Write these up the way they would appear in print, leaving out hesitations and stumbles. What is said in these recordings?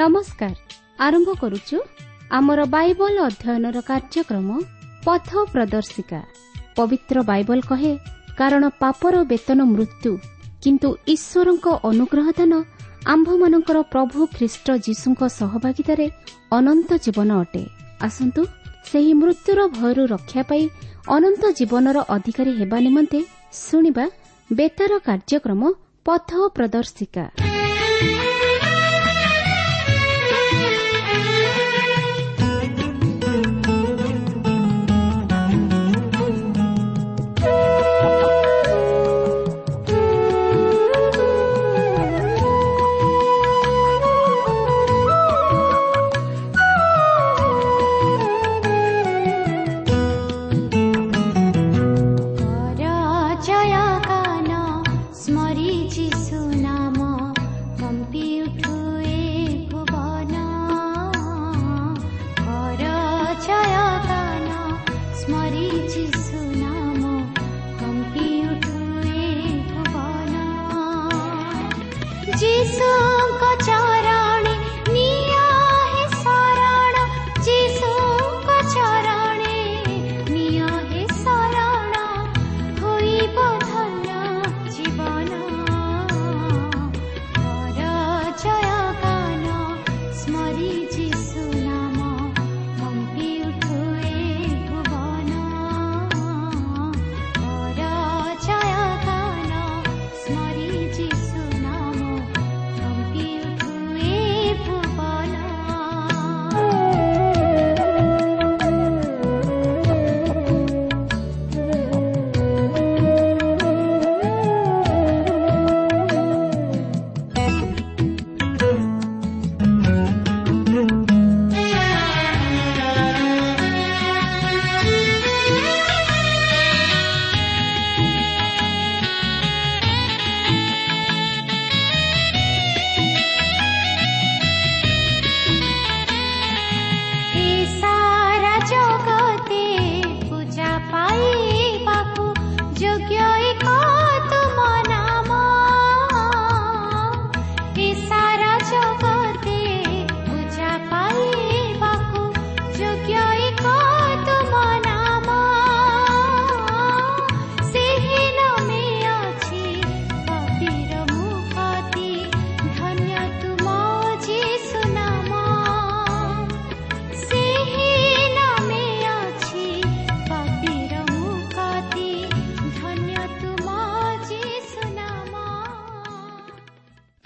ନମସ୍କାର। ଆରମ୍ଭ କରୁଛୁ ଆମର ବାଇବଲ ଅଧ୍ୟୟନର କାର୍ଯ୍ୟକ୍ରମ ପଥ ପ୍ରଦର୍ଶିକା। ପବିତ୍ର ବାଇବଲ କହେ, କାରଣ ପାପର ବେତନ ମୃତ୍ୟୁ, କିନ୍ତୁ ଈଶ୍ୱରଙ୍କ ଅନୁଗ୍ରହ ଦାନ ଆମ୍ଭମାନଙ୍କର ପ୍ରଭୁ ଖ୍ରୀଷ୍ଟ ଯୀଶୁଙ୍କ ସହଭାଗିତାରେ ଅନନ୍ତ ଜୀବନ ଅଟେ। ଆସନ୍ତୁ ସେହି ମୃତ୍ୟୁର ଭୟରୁ ରକ୍ଷା ପାଇ ଅନନ୍ତ ଜୀବନର ଅଧିକାରୀ ହେବା ନିମନ୍ତେ ଶୁଣିବା ବେତାର କାର୍ଯ୍ୟକ୍ରମ ପଥ ପ୍ରଦର୍ଶିକା।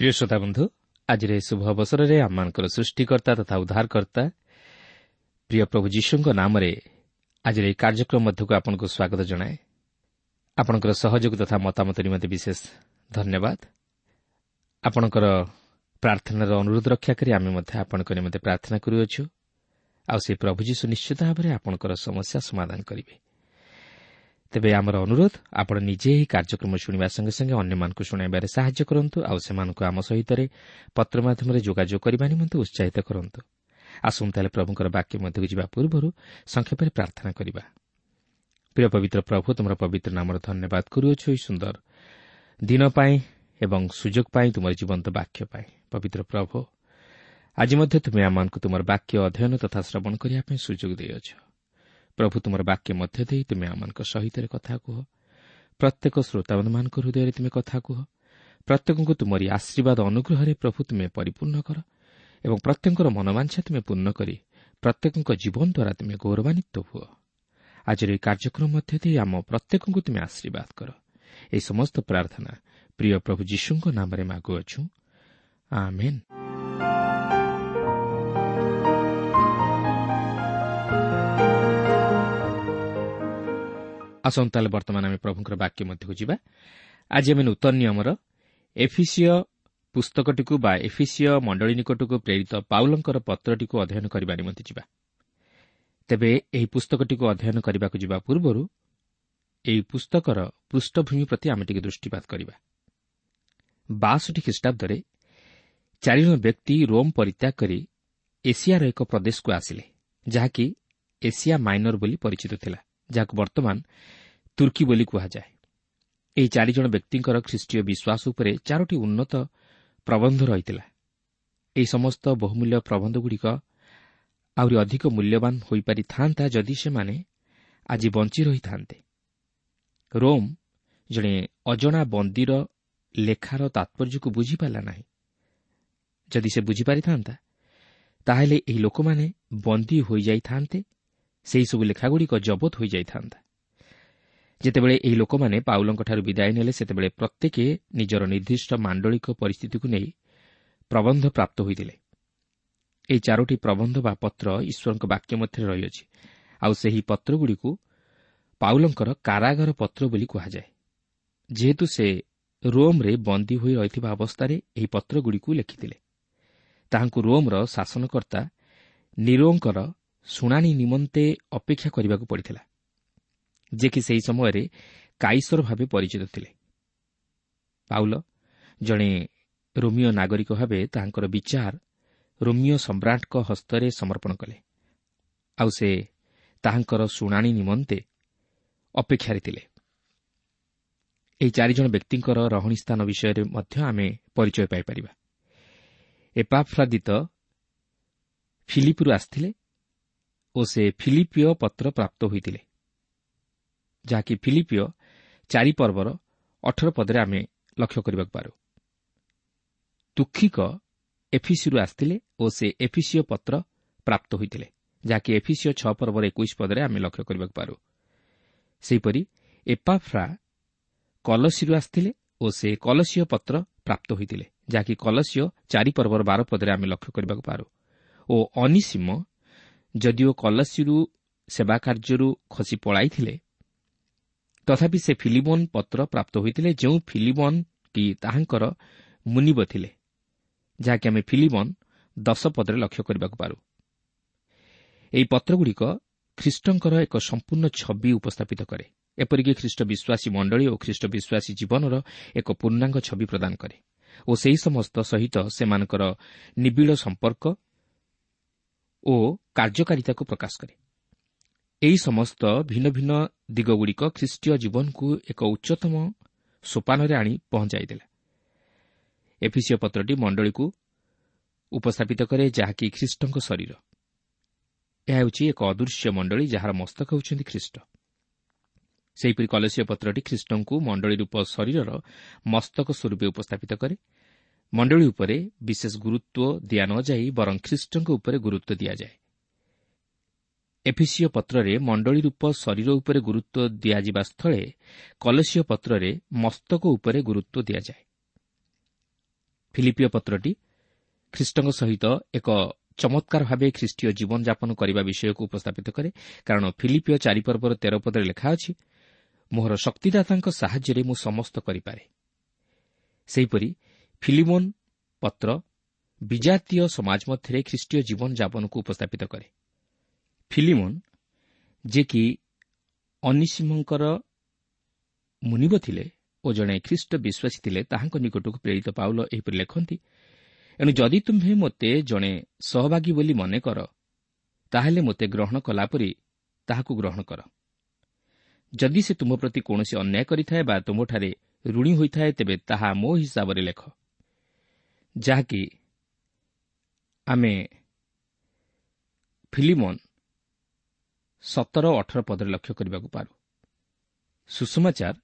ପ୍ରିୟ ଶ୍ରୋତାବନ୍ଧୁ, ଆଜିର ଏହି ଶୁଭ ଅବସରରେ ଆମମାନଙ୍କର ସୃଷ୍ଟିକର୍ତ୍ତା ତଥା ଉଦ୍ଧାରକର୍ତ୍ତା ପ୍ରିୟ ପ୍ରଭୁ ଯୀଶୁଙ୍କ ନାମରେ ଆଜିର ଏହି କାର୍ଯ୍ୟକ୍ରମ ମଧ୍ୟକୁ ଆପଣଙ୍କୁ ସ୍ୱାଗତ ଜଣାଏ। ଆପଣଙ୍କର ସହଯୋଗ ତଥା ମତାମତ ନିମନ୍ତେ ବିଶେଷ ଧନ୍ୟବାଦ। ଆପଣଙ୍କର ପ୍ରାର୍ଥନାର ଅନୁରୋଧ ରକ୍ଷା କରି ଆମେ ମଧ୍ୟ ଆପଣଙ୍କ ନିମନ୍ତେ ପ୍ରାର୍ଥନା କରୁଅଛୁ, ଆଉ ସେ ପ୍ରଭୁ ଯୀଶୁ ନିଶ୍ଚିତ ଭାବରେ ଆପଣଙ୍କର ସମସ୍ୟା ସମାଧାନ କରିବେ। ତେବେ ଆମର ଅନୁରୋଧ, ଆପଣ ନିଜେ ଏହି କାର୍ଯ୍ୟକ୍ରମ ଶୁଣିବା ସଙ୍ଗେ ସଙ୍ଗେ ଅନ୍ୟମାନଙ୍କୁ ଶୁଣାଇବାରେ ସାହାଯ୍ୟ କରନ୍ତୁ, ଆଉ ସେମାନଙ୍କୁ ଆମ ସହିତ ପତ୍ର ମାଧ୍ୟମରେ ଯୋଗାଯୋଗ କରିବା ନିମନ୍ତେ ଉତ୍ସାହିତ କରନ୍ତୁ। ଆସନ୍ତୁ ତାହେଲେ ପ୍ରଭୁଙ୍କର ବାକ୍ୟ ମଧ୍ୟକୁ ଯିବା ପୂର୍ବରୁ ସଂକ୍ଷେପରେ ପ୍ରାର୍ଥନା କରିବା। ପ୍ରିୟ ପବିତ୍ର ପ୍ରଭୁ, ତୁମର ପବିତ୍ର ନାମର ଧନ୍ୟବାଦ କରୁଅଛୁ ଏହି ସୁନ୍ଦର ଦିନ ପାଇଁ ଏବଂ ସୁଯୋଗ ପାଇଁ, ତୁମର ଜୀବନ୍ତ ବାକ୍ୟ ପାଇଁ। ପବିତ୍ର ପ୍ରଭୁ, ଆଜି ମଧ୍ୟ ତୁମେ ଆମମାନଙ୍କୁ ତୁମର ବାକ୍ୟ ଅଧ୍ୟୟନ ତଥା ଶ୍ରବଣ କରିବା ପାଇଁ ସୁଯୋଗ ଦେଇଅଛ। ପ୍ରଭୁ, ତୁମର ବାକ୍ୟ ମଧ୍ୟ ଦେଇ ତୁମେ ଆମମାନଙ୍କ ସହିତ କଥା କୁହ। ପ୍ରତ୍ୟେକ ଶ୍ରୋତାବନ୍ଧୁମାନଙ୍କ ହୃଦୟରେ ତୁମେ କଥା କୁହ। ପ୍ରତ୍ୟେକଙ୍କୁ ତୁମରି ଆଶୀର୍ବାଦ ଅନୁଗ୍ରହରେ ପ୍ରଭୁ ତୁମେ ପରିପୂର୍ଣ୍ଣ କର ଏବଂ ପ୍ରତ୍ୟେକଙ୍କର ମନୋବାଞ୍ଛା ତୁମେ ପୂର୍ଣ୍ଣ କରି ପ୍ରତ୍ୟେକଙ୍କ ଜୀବନ ଦ୍ୱାରା ତୁମେ ଗୌରବାନ୍ୱିତ ହୁଅ। ଆଜିର ଏହି କାର୍ଯ୍ୟକ୍ରମ ମଧ୍ୟ ଦେଇ ଆମ ପ୍ରତ୍ୟେକଙ୍କୁ ତୁମେ ଆଶୀର୍ବାଦ କର। ଏହି ସମସ୍ତ ପ୍ରାର୍ଥନା ପ୍ରିୟ ପ୍ରଭୁ ଯୀଶୁଙ୍କ ନାମରେ ମାଗୁଅଛୁ, ଆମେନ୍। ଆସନ୍ତୁ ତାହେଲେ ବର୍ତ୍ତମାନ ଆମେ ପ୍ରଭୁଙ୍କର ବାକ୍ୟ ମଧ୍ୟକୁ ଯିବା। ଆଜି ଆମେ ନୂତନ ନିୟମର ଏଫିସିୟ ପୁସ୍ତକଟିକୁ ବା ଏଫିସିୟ ମଣ୍ଡଳୀ ନିକଟକୁ ପ୍ରେରିତ ପାଉଲଙ୍କର ପତ୍ରଟିକୁ ଅଧ୍ୟୟନ କରିବା ନିମନ୍ତେ ଯିବା। ତେବେ ଏହି ପୁସ୍ତକଟିକୁ ଅଧ୍ୟୟନ କରିବାକୁ ଯିବା ପୂର୍ବରୁ ଏହି ପୁସ୍ତକର ପୃଷ୍ଠଭୂମି ପ୍ରତି ଆମେ ଟିକେ ଦୃଷ୍ଟିପାତ କରିବା। 62 ଖ୍ରୀଷ୍ଟାବ୍ଦରେ ଚାରିଜଣ ବ୍ୟକ୍ତି ରୋମ୍ ପରିତ୍ୟାଗ କରି ଏସିଆର ଏକ ପ୍ରଦେଶକୁ ଆସିଲେ, ଯାହାକି ଏସିଆ ମାଇନର ବୋଲି ପରିଚିତ ଥିଲା, ଯାହାକୁ ବର୍ତ୍ତମାନ ତୁର୍କୀ ବୋଲି କୁହାଯାଏ। ଏହି ଚାରିଜଣ ବ୍ୟକ୍ତିଙ୍କର ଖ୍ରୀଷ୍ଟୀୟ ବିଶ୍ୱାସ ଉପରେ ଚାରୋଟି ଉନ୍ନତ ପ୍ରବନ୍ଧ ରହିଥିଲା। ଏହି ସମସ୍ତ ବହୁମୂଲ୍ୟ ପ୍ରବନ୍ଧଗୁଡ଼ିକ ଆହୁରି ଅଧିକ ମୂଲ୍ୟବାନ ହୋଇପାରିଥାନ୍ତା ଯଦି ସେମାନେ ଆଜି ବଞ୍ଚି ରହିଥାନ୍ତେ। ରୋମ୍ ଜଣେ ଅଜଣା ବନ୍ଦୀର ଲେଖାର ତାତ୍ପର୍ଯ୍ୟକୁ ବୁଝିପାରିଲା ନାହିଁ। ଯଦି ସେ ବୁଝିପାରିଥାନ୍ତା, ତାହେଲେ ଏହି ଲୋକମାନେ ବନ୍ଦୀ ହୋଇଯାଇଥାନ୍ତେ, ସେହିସବୁ ଲେଖାଗୁଡ଼ିକ ଜବତ ହୋଇଯାଇଥାନ୍ତା। ଯେତେବେଳେ ଏହି ଲୋକମାନେ ପାଉଲଙ୍କଠାରୁ ବିଦାୟ ନେଲେ, ସେତେବେଳେ ପ୍ରତ୍ୟେକ ନିଜର ନିର୍ଦ୍ଦିଷ୍ଟ ମାଣ୍ଡଳିକ ପରିସ୍ଥିତିକୁ ନେଇ ପ୍ରବନ୍ଧ ପ୍ରାପ୍ତ ହୋଇଥିଲେ। ଏହି ଚାରୋଟି ପ୍ରବନ୍ଧ ବା ପତ୍ର ଈଶ୍ୱରଙ୍କ ବାକ୍ୟ ମଧ୍ୟରେ ରହିଅଛି, ଆଉ ସେହି ପତ୍ରଗୁଡ଼ିକୁ ପାଉଲଙ୍କର କାରାଗାର ପତ୍ର ବୋଲି କୁହାଯାଏ, ଯେହେତୁ ସେ ରୋମ୍ରେ ବନ୍ଦୀ ହୋଇ ରହିଥିବା ଅବସ୍ଥାରେ ଏହି ପତ୍ରଗୁଡ଼ିକୁ ଲେଖିଥିଲେ। ତାହାଙ୍କୁ ରୋମ୍ର ଶାସନକର୍ତ୍ତା ନିରୋଙ୍କର ଶୁଣାଣି ନିମନ୍ତେ ଅପେକ୍ଷା କରିବାକୁ ପଡ଼ିଥିଲା, ଯେ କି ସେହି ସମୟରେ କାଇସର ଭାବେ ପରିଚିତ ଥିଲେ। ପାଉଲ ଜଣେ ରୋମୀୟ ନାଗରିକ ଭାବେ ତାହାଙ୍କର ବିଚାର ରୋମୀୟ ସମ୍ରାଟଙ୍କ ହସ୍ତରେ ସମର୍ପଣ କଲେ, ଆଉ ସେ ତାହାଙ୍କର ଶୁଣାଣି ନିମନ୍ତେ ଅପେକ୍ଷାରେ ଥିଲେ। ଏହି ଚାରିଜଣ ବ୍ୟକ୍ତିଙ୍କର ରହଣି ସ୍ଥାନ ବିଷୟରେ ମଧ୍ୟ ଆମେ ପରିଚୟ ପାଇପାରିବା। ଏପାଫ୍ରାଦିତ ଫିଲିପରୁ ଆସିଥିଲେ ଓ ସେ ଫିଲିପିୟ ପତ୍ର ପ୍ରାପ୍ତ ହୋଇଥିଲେ, ଯାହାକି ଫିଲିପିୟ 4 ପର୍ବର 18 ପଦରେ ଆମେ ଲକ୍ଷ୍ୟ କରିବାକୁ ପାରୁ। ତୁଖିକ ଏଫିସିରୁ ଆସିଥିଲେ ଓ ସେ ଏଫିସିୟ ପତ୍ର ପ୍ରାପ୍ତ ହୋଇଥିଲେ, ଯାହାକି ଏଫିସିୟ 6 ପର୍ବର 21 ପଦରେ ଆମେ ଲକ୍ଷ୍ୟ କରିବାକୁ ପାରୁ। ସେହିପରି ଏପାଫ୍ରା କଲସିରୁ ଆସିଥିଲେ ଓ ସେ କଲସୀୟ ପତ୍ର ପ୍ରାପ୍ତ ହୋଇଥିଲେ, ଯାହାକି କଲସୀୟ 4 ପର୍ବର 12 ପଦରେ ଆମେ ଲକ୍ଷ୍ୟ କରିବାକୁ ପାରୁ। ଓ ଅନିସୀମ ଯଦିଓ କଲସିରୁ ସେବା କାର୍ଯ୍ୟରୁ ଖସି ପଳାଇଥିଲେ, ତଥାପି ସେ ଫିଲିମୋନ ପତ୍ର ପ୍ରାପ୍ତ ହୋଇଥିଲେ, ଯେଉଁ ଫିଲିମୋନ କି ତାହାଙ୍କର ମୁନିବ ଥିଲେ, ଯାହାକି ଆମେ ଫିଲିମୋନ 10 ପଦରେ ଲକ୍ଷ୍ୟ କରିବାକୁ ପାରୁ। ଏହି ପତ୍ରଗୁଡ଼ିକ ଖ୍ରୀଷ୍ଟଙ୍କର ଏକ ସମ୍ପୂର୍ଣ୍ଣ ଛବି ଉପସ୍ଥାପିତ କରେ, ଏପରିକି ଖ୍ରୀଷ୍ଟ ବିଶ୍ୱାସୀ ମଣ୍ଡଳୀ ଓ ଖ୍ରୀଷ୍ଟ ବିଶ୍ୱାସୀ ଜୀବନର ଏକ ପୂର୍ଣ୍ଣାଙ୍ଗ ଛବି ପ୍ରଦାନ କରେ ଓ ସେହି ସମସ୍ତ ସହିତ ସେମାନଙ୍କର ନିବିଡ଼ ସମ୍ପର୍କ ଓ କାର୍ଯ୍ୟକାରିତାକୁ ପ୍ରକାଶ କରେ। ଏହି ସମସ୍ତ ଭିନ୍ନ ଭିନ୍ନ ଦିଗଗୁଡ଼ିକ ଖ୍ରୀଷ୍ଟୀୟ ଜୀବନକୁ ଏକ ଉଚ୍ଚତମ ସୋପାନରେ ଆଣି ପହଞ୍ଚାଇଦେଲା। ଏଫିସିୟ ପତ୍ରଟି ମଣ୍ଡଳୀକୁ ଉପସ୍ଥାପିତ କରେ, ଯାହାକି ଖ୍ରୀଷ୍ଟଙ୍କ ଶରୀର। ଏହା ହେଉଛି ଏକ ଅଦୃଶ୍ୟ ମଣ୍ଡଳୀ, ଯାହାର ମସ୍ତକ ହେଉଛନ୍ତି ଖ୍ରୀଷ୍ଟ। ସେହିପରି କଲସୀୟ ପତ୍ରଟି ଖ୍ରୀଷ୍ଟଙ୍କୁ ମଣ୍ଡଳୀ ରୂପ ଶରୀରର ମସ୍ତକ ସ୍ୱରୂପେ ଉପସ୍ଥାପିତ କରେ। ମଣ୍ଡଳୀ ଉପରେ ବିଶେଷ ଗୁରୁତ୍ୱ ଦିଆ ନଯାଇ ବରଂ ଖ୍ରୀଷ୍ଟଙ୍କ ଉପରେ ଗୁରୁତ୍ୱ ଦିଆଯାଏ। ଏଫିସିୟ ପତ୍ରରେ ମଣ୍ଡଳୀ ରୂପ ଶରୀର ଉପରେ ଗୁରୁତ୍ୱ ଦିଆଯିବା ସ୍ଥଳେ କଲସୀୟ ପତ୍ରରେ ମସ୍ତକ ଉପରେ ଗୁରୁତ୍ୱ ଦିଆଯାଏ। ଫିଲିପିୟ ପତ୍ରଟି ଖ୍ରୀଷ୍ଟଙ୍କ ସହିତ ଏକ ଚମତ୍କାର ଭାବେ ଖ୍ରୀଷ୍ଟୀୟ ଜୀବନଯାପନ କରିବା ବିଷୟକୁ ଉପସ୍ଥାପିତ କରେ, କାରଣ ଫିଲିପିୟ 4 ପର୍ବର 13 ପଦରେ ଲେଖା ଅଛି, ମୋହର ଶକ୍ତିଦାତାଙ୍କ ସାହାଯ୍ୟରେ ମୁଁ ସମସ୍ତ କରିପାରେ। ସେହିପରି ଫିଲିମୋନ ପତ୍ର ବିଜାତୀୟ ସମାଜ ମଧ୍ୟରେ ଖ୍ରୀଷ୍ଟୀୟ ଜୀବନଯାପନକୁ ଉପସ୍ଥାପିତ କରେ। ଫିଲିମୋନ, ଯିଏକି ଅନିସୀମଙ୍କର ମୁନିବ ଥିଲେ ଓ ଜଣେ ଖ୍ରୀଷ୍ଟ ବିଶ୍ୱାସୀ ଥିଲେ, ତାହାଙ୍କ ନିକଟକୁ ପ୍ରେରିତ ପାଉଲ ଏହିପରି ଲେଖନ୍ତି, ଏଣୁ ଯଦି ତୁମ୍ଭେ ମୋତେ ଜଣେ ସହଭାଗୀ ବୋଲି ମନେ କର, ତାହେଲେ ମୋତେ ଗ୍ରହଣ କଲାପରି ତାହାକୁ ଗ୍ରହଣ କର। ଯଦି ସେ ତୁମ ପ୍ରତି କୌଣସି ଅନ୍ୟାୟ କରିଥାଏ ବା ତୁମଠାରେ ଋଣୀ ହୋଇଥାଏ, ତେବେ ତାହା ମୋ ହିସାବରେ ଲେଖ। ଯାହାକି ଆମେ ଫିଲିମୋନ 17-18 ପଦରେ ଲକ୍ଷ୍ୟ କରିବାକୁ ପାରୁ। ସୁସମାଚାର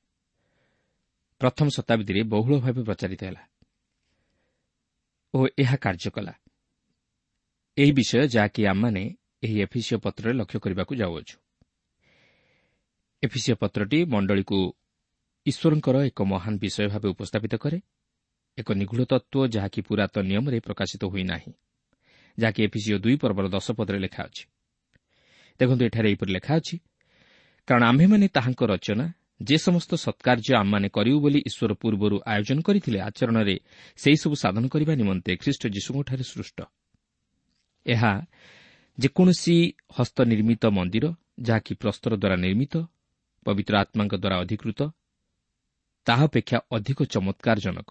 ପ୍ରଥମ ଶତାବ୍ଦୀରେ ବହୁଳ ଭାବେ ପ୍ରଚାରିତ ହେଲା ଓ ଏହା କାର୍ଯ୍ୟ କଲା। ଏହି ବିଷୟ ଯାହାକି ଆମମାନେ ଏହି ଏଫିସିୟ ପତ୍ରରେ ଲକ୍ଷ୍ୟ କରିବାକୁ ଯାଉଅଛୁ। ଏଫିସିୟ ପତ୍ରଟି ମଣ୍ଡଳୀକୁ ଈଶ୍ୱରଙ୍କର ଏକ ମହାନ ବିଷୟ ଭାବେ ଉପସ୍ଥାପିତ କରେ, ଏକ ନିଗୂଢ଼ ତତ୍ତ୍ୱ ଯାହାକି ପୁରାତନ ନିୟମରେ ପ୍ରକାଶିତ ହୋଇନାହିଁ, ଯାହାକି ଏଫିସିୟ 2 ପର୍ବର 10 ପଦରେ ଲେଖା ଅଛି। ଦେଖନ୍ତୁ, ଏଠାରେ ଏହିପରି ଲେଖା ଅଛି, କାରଣ ଆମ୍ଭେମାନେ ତାହାଙ୍କ ରଚନା, ଯେ ସମସ୍ତ ସତ୍କାର୍ଯ୍ୟ ଆମମାନେ କରିବୁ ବୋଲି ଈଶ୍ୱର ପୂର୍ବରୁ ଆୟୋଜନ କରିଥିଲେ, ଆଚରଣରେ ସେହିସବୁ ସାଧନ କରିବା ନିମନ୍ତେ ଖ୍ରୀଷ୍ଟ ଯୀଶୁଙ୍କଠାରେ ସୃଷ୍ଟ। ଏହା ଯେକୌଣସି ହସ୍ତନିର୍ମିତ ମନ୍ଦିର, ଯାହାକି ପ୍ରସ୍ତର ଦ୍ୱାରା ନିର୍ମିତ, ପବିତ୍ର ଆତ୍ମାଙ୍କ ଦ୍ୱାରା ଅଧିକୃତ, ତାହା ଅପେକ୍ଷା ଅଧିକ ଚମତ୍କାରଜନକ।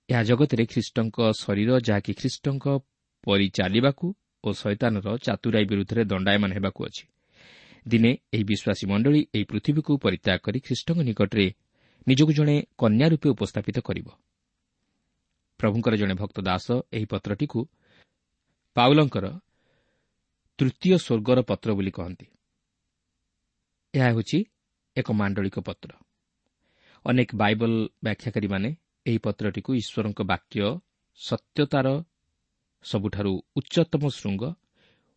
ଏହା ଜଗତରେ ଖ୍ରୀଷ୍ଟଙ୍କ ଶରୀର, ଯାହାକି ଖ୍ରୀଷ୍ଟଙ୍କ ପରି ଚାଲିବାକୁ ଓ ଶୟତାନର ଚାତୁରାଇ ବିରୁଦ୍ଧରେ ଦଣ୍ଡାୟମାନ ହେବାକୁ ଅଛି। ଦିନେ ଏହି ବିଶ୍ୱାସୀ ମଣ୍ଡଳୀ ଏହି ପୃଥିବୀକୁ ପରିତ୍ୟାଗ କରି ଖ୍ରୀଷ୍ଟଙ୍କ ନିକଟରେ ନିଜକୁ ଜଣେ କନ୍ୟା ରୂପେ ଉପସ୍ଥାପିତ କରିବ। ପ୍ରଭୁଙ୍କର ଜଣେ ଭକ୍ତ ଦାସ ଏହି ପତ୍ରଟିକୁ ପାଉଲଙ୍କର ତୃତୀୟ ସ୍ୱର୍ଗର ପତ୍ର ବୋଲି କହନ୍ତି। ଏହା ହେଉଛି ଏକ ମାଣ୍ଡଳିକ ପତ୍ର। ଅନେକ ବାଇବଲ ବ୍ୟାଖ୍ୟାକାରୀମାନେ ଏହି ପତ୍ରଟିକୁ ଈଶ୍ୱରଙ୍କ ବାକ୍ୟ ସତ୍ୟତାର ସବୁଠାରୁ ଉଚ୍ଚତମ ଶୃଙ୍ଗ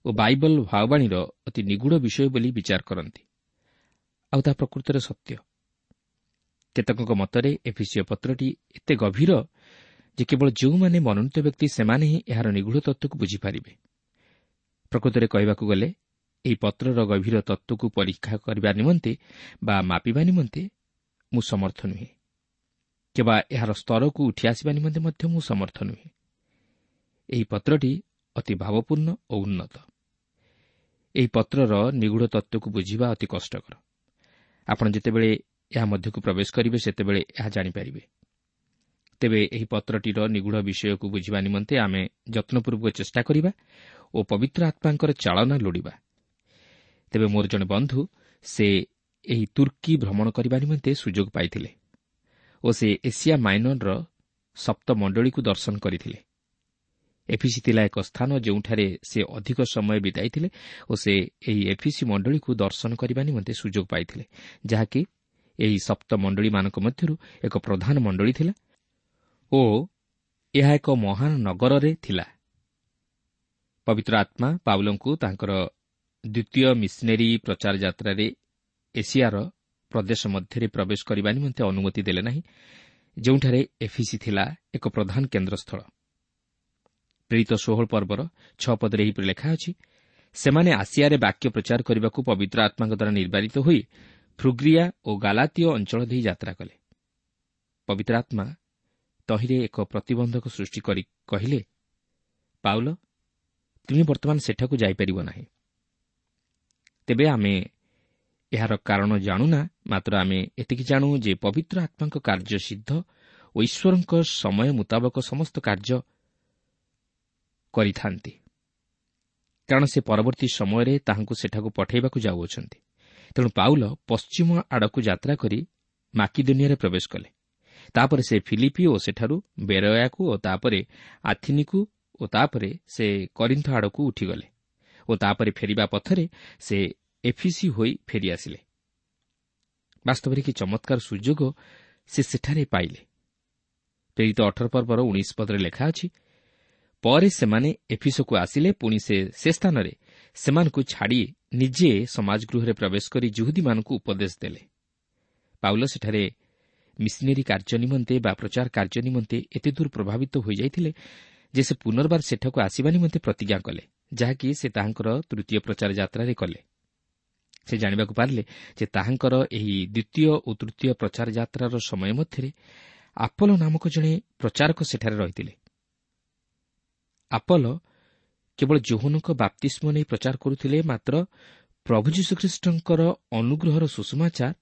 ଓ ବାଇବଲ ଭାବବାଣୀର ଅତି ନିଗୂଢ଼ ବିଷୟ ବୋଲି ବିଚାର କରନ୍ତି, ଆଉ ତାହା ପ୍ରକୃତରେ ସତ୍ୟ। କେତେକଙ୍କ ମତରେ ଏଫିସୀୟ ପତ୍ରଟି ଏତେ ଗଭୀର ଯେ କେବଳ ଯେଉଁମାନେ ମନୋନୀତ ବ୍ୟକ୍ତି ସେମାନେ ହିଁ ଏହାର ନିଗୂଢ଼ ତତ୍ତ୍ୱକୁ ବୁଝିପାରିବେ। ପ୍ରକୃତରେ କହିବାକୁ ଗଲେ ଏହି ପତ୍ରର ଗଭୀର ତତ୍ତ୍ୱକୁ ପରୀକ୍ଷା କରିବା ନିମନ୍ତେ ବା ମାପିବା ନିମନ୍ତେ ମୁଁ ସମର୍ଥ ନୁହେଁ, କିମ୍ବା ଏହାର ସ୍ତରକୁ ଉଠିଆସିବା ନିମନ୍ତେ ମଧ୍ୟ ମୁଁ ସମର୍ଥ ନୁହେଁ। ଏହି ପତ୍ରଟି ଅତି ଭାବପୂର୍ଣ୍ଣ ଓ ଉନ୍ନତ। ଏହି ପତ୍ରର ନିଗୂଢ଼ ତତ୍ତ୍ୱକୁ ବୁଝିବା ଅତି କଷ୍ଟକର। ଆପଣ ଯେତେବେଳେ ଏହା ମଧ୍ୟକୁ ପ୍ରବେଶ କରିବେ ସେତେବେଳେ ଏହା ଜାଣିପାରିବେ। ତେବେ ଏହି ପତ୍ରଟିର ନିଗୂଢ଼ ବିଷୟକୁ ବୁଝିବା ନିମନ୍ତେ ଆମେ ଯତ୍ନପୂର୍ବକ ଚେଷ୍ଟା କରିବା ଓ ପବିତ୍ର ଆତ୍ମାଙ୍କର ଚାଳନା ଲୋଡ଼ିବା। ତେବେ ମୋର ଜଣେ ବନ୍ଧୁ ସେ ଏହି ତୁର୍କୀ ଭ୍ରମଣ କରିବା ନିମନ୍ତେ ସୁଯୋଗ ପାଇଥିଲେ ଓ ସେ ଏସିଆ ମାଇନରର ସପ୍ତମଣ୍ଡଳୀକୁ ଦର୍ଶନ କରିଥିଲେ। ଏଫିସି ଥିଲା ଏକ ସ୍ଥାନ ଯେଉଁଠାରେ ସେ ଅଧିକ ସମୟ ବିତାଇଥିଲେ ଓ ସେ ଏହି ଏଫିସି ମଣ୍ଡଳୀକୁ ଦର୍ଶନ କରିବା ନିମନ୍ତେ ସୁଯୋଗ ପାଇଥିଲେ, ଯାହାକି ଏହି ସପ୍ତମଣ୍ଡଳୀମାନଙ୍କ ମଧ୍ୟରୁ ଏକ ପ୍ରଧାନ ମଣ୍ଡଳୀ ଥିଲା ଓ ଏହା ଏକ ମହାନ ନଗରରେ ଥିଲା। ପବିତ୍ର ଆତ୍ମା ପାଉଲଙ୍କୁ ତାଙ୍କର ଦ୍ୱିତୀୟ ମିଶନେରୀ ପ୍ରଚାର ଯାତ୍ରାରେ ଏସିଆର ପ୍ରଦେଶ ମଧ୍ୟରେ ପ୍ରବେଶ କରିବା ନିମନ୍ତେ ଅନୁମତି ଦେଲେ ନାହିଁ, ଯେଉଁଠାରେ ଏଫିସି ଥିଲା ଏକ ପ୍ରଧାନ କେନ୍ଦ୍ରସ୍ଥଳ। ପ୍ରେରିତ 16 ପର୍ବର 6 ପଦରେ ଏହିପରି ଲେଖା ଅଛି, ସେମାନେ ଆସିଆରେ ବାକ୍ୟ ପ୍ରଚାର କରିବାକୁ ପବିତ୍ର ଆତ୍ମାଙ୍କ ଦ୍ୱାରା ନିର୍ବାଚିତ ହୋଇ ଫ୍ରୁଗ୍ରିଆ ଓ ଗାଲାତୀୟ ଅଞ୍ଚଳ ଦେଇ ଯାତ୍ରା କଲେ। ପବିତ୍ର ଆତ୍ମା ତହିଁରେ ଏକ ପ୍ରତିବନ୍ଧକ ସୃଷ୍ଟି କରି କହିଲେ, ପାଉଲ, ତୁମେ ବର୍ତ୍ତମାନ ସେଠାକୁ ଯାଇପାରିବ ନାହିଁ। ତେବେ ଆମେ ଏହାର କାରଣ ଜାଣୁନା, ମାତ୍ର ଆମେ ଏତିକି ଜାଣୁ ଯେ ପବିତ୍ର ଆତ୍ମାଙ୍କ କାର୍ଯ୍ୟ ସିଦ୍ଧ ଓ ଈଶ୍ୱରଙ୍କ ସମୟ ମୁତାବକ ସମସ୍ତ କାର୍ଯ୍ୟ କରିଥାନ୍ତି, କାରଣ ସେ ପରବର୍ତ୍ତୀ ସମୟରେ ତାହାଙ୍କୁ ସେଠାକୁ ପଠାଇବାକୁ ଯାଉଅଛନ୍ତି। ତେଣୁ ପାଉଲ ପଶ୍ଚିମ ଆଡ଼କୁ ଯାତ୍ରା କରି ମାକିଦୋନିଆରେ ପ୍ରବେଶ କଲେ। ତାପରେ ସେ ଫିଲିପି ଓ ସେଠାରୁ ବେରୟାକୁ ଓ ତାପରେ ଆଥିନିକୁ ଓ ତାପରେ ସେ କରିନ୍ଥ ଆଡ଼କୁ ଉଠିଗଲେ ଓ ତାପରେ ଫେରିବା ପଥରେ ସେ ଏଫିସି ହୋଇ ଫେରିଆସିଲେ। ବାସ୍ତବରେ କି ଚମତ୍କାର ସୁଯୋଗ ସେ ସେଠାରେ ପାଇଲେ। ପ୍ରେରିତ 18 ପର୍ବର 19 ପଦରେ ଲେଖା ଅଛି, ପରେ ସେମାନେ ଏଫିସକୁ ଆସିଲେ, ପୁଣି ସେ ସ୍ଥାନରେ ସେମାନଙ୍କୁ ଛାଡ଼ି ନିଜେ ସମାଜଗୃହରେ ପ୍ରବେଶ କରି ଜୁହୁଦୀମାନଙ୍କୁ ଉପଦେଶ ଦେଲେ। ପାଉଲ ସେଠାରେ ମିଶନେରୀ କାର୍ଯ୍ୟ ନିମନ୍ତେ ବା ପ୍ରଚାର କାର୍ଯ୍ୟ ନିମନ୍ତେ ଏତେ ଦୂର ପ୍ରଭାବିତ ହୋଇଯାଇଥିଲେ ଯେ ସେ ପୁନର୍ବାର ସେଠାକୁ ଆସିବା ନିମନ୍ତେ ପ୍ରତିଜ୍ଞା କଲେ, ଯାହାକି ସେ ତାହାଙ୍କର ତୃତୀୟ ପ୍ରଚାର ଯାତ୍ରାରେ କଲେ। ସେ ଜାଣିବାକୁ ପାରିଲେ ଯେ ତାହାଙ୍କର ଏହି ଦ୍ୱିତୀୟ ଓ ତୃତୀୟ ପ୍ରଚାର ଯାତ୍ରାର ସମୟ ମଧ୍ୟରେ ଆପଲ ନାମକ ଜଣେ ପ୍ରଚାରକ ସେଠାରେ ରହିଥିଲେ। ଆପଲ କେବଳ ଯୋହନଙ୍କ ବାପ୍ତିସ୍ମ ନେଇ ପ୍ରଚାର କରୁଥିଲେ, ମାତ୍ର ପ୍ରଭୁ ଯୀଶୁଖ୍ରୀଷ୍ଟଙ୍କର ଅନୁଗ୍ରହର ସୁସମାଚାର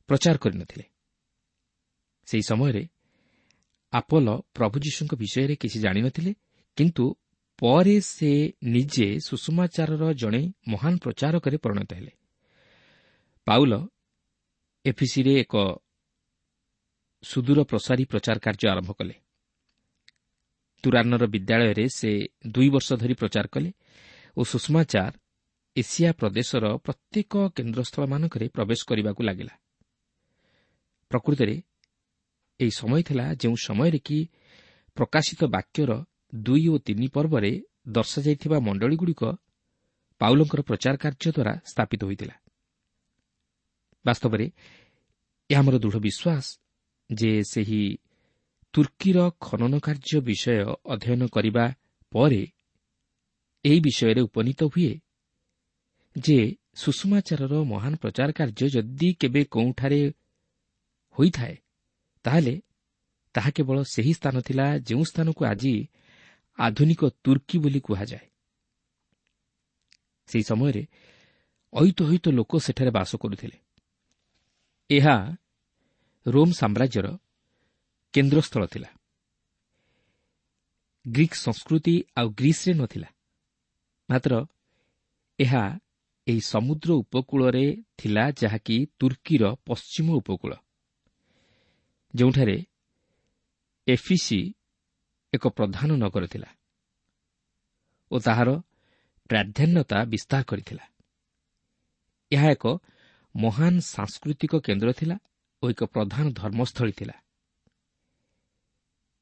ପ୍ରଚାର କରିନଥିଲେ। ସେହି ସମୟରେ ଆପଲ ପ୍ରଭୁ ଯୀଶୁଙ୍କ ବିଷୟରେ କିଛି ଜାଣିନଥିଲେ, କିନ୍ତୁ ପରେ ସେ ନିଜେ ସୁସମାଚାରର ଜଣେ ମହାନ ପ୍ରଚାରକରେ ପରିଣତ ହେଲେ। ପାଉଲ ଏଫିସିରେ ଏକ ସୁଦୂର ପ୍ରସାରୀ ପ୍ରଚାର କାର୍ଯ୍ୟ ଆରମ୍ଭ କଲେ। ତୁରାନର ବିଦ୍ୟାଳୟରେ ସେ 2 ବର୍ଷ ଧରି ପ୍ରଚାର କଲେ ଓ ସୁଷମାଚାର ଏସିଆ ପ୍ରଦେଶର ପ୍ରତ୍ୟେକ କେନ୍ଦ୍ରସ୍ଥଳମାନଙ୍କରେ ପ୍ରବେଶ କରିବାକୁ ଲାଗିଲା। ପ୍ରକୃତରେ ଏହି ସମୟ ଥିଲା ଯେଉଁ ସମୟରେ କି ପ୍ରକାଶିତ ବାକ୍ୟର 2 ଓ 3 ପର୍ବରେ ଦର୍ଶାଯାଇଥିବା ମଣ୍ଡଳୀଗୁଡ଼ିକ ପାଉଲଙ୍କର ପ୍ରଚାର କାର୍ଯ୍ୟ ଦ୍ୱାରା ସ୍ଥାପିତ ହୋଇଥିଲା। ବାସ୍ତବରେ ଏହା ଆମର ଦୃଢ଼ ବିଶ୍ୱାସ ଯେ ସେହି ତୁର୍କୀର ଖନନ କାର୍ଯ୍ୟ ବିଷୟ ଅଧ୍ୟୟନ କରିବା ପରେ ଏହି ବିଷୟରେ ଉପନୀତ ହୁଏ ଯେ ସୁଷମାଚାରର ମହାନ ପ୍ରଚାର କାର୍ଯ୍ୟ ଯଦି କେବେ କେଉଁଠାରେ ହୋଇଥାଏ, ତାହେଲେ ତାହା କେବଳ ସେହି ସ୍ଥାନ ଥିଲା ଯେଉଁ ସ୍ଥାନକୁ ଆଜି ଆଧୁନିକ ତୁର୍କୀ ବୋଲି କୁହାଯାଏ। ସେହି ସମୟରେ ଅୟୁତ ଅୟୁତ ଲୋକ ସେଠାରେ ବାସ କରୁଥିଲେ। ଏହା ରୋମ୍ ସାମ୍ରାଜ୍ୟର କେନ୍ଦ୍ରସ୍ଥଳ ଥିଲା। ଗ୍ରୀକ୍ ସଂସ୍କୃତି ଆଉ ଗ୍ରୀସ୍ରେ ନଥିଲା, ମାତ୍ର ଏହା ଏହି ସମୁଦ୍ର ଉପକୂଳରେ ଥିଲା, ଯାହାକି ତୁର୍କୀର ପଶ୍ଚିମ ଉପକୂଳ, ଯେଉଁଠାରେ ଏଫିସି ଏକ ପ୍ରଧାନ ନଗର ଥିଲା ଓ ତାହାର ପ୍ରାଧାନ୍ୟତା ବିସ୍ତାର କରିଥିଲା। ଏହା ଏକ ମହାନ ସାଂସ୍କୃତିକ କେନ୍ଦ୍ର ଥିଲା ଓ ଏକ ପ୍ରଧାନ ଧର୍ମସ୍ଥଳୀ ଥିଲା।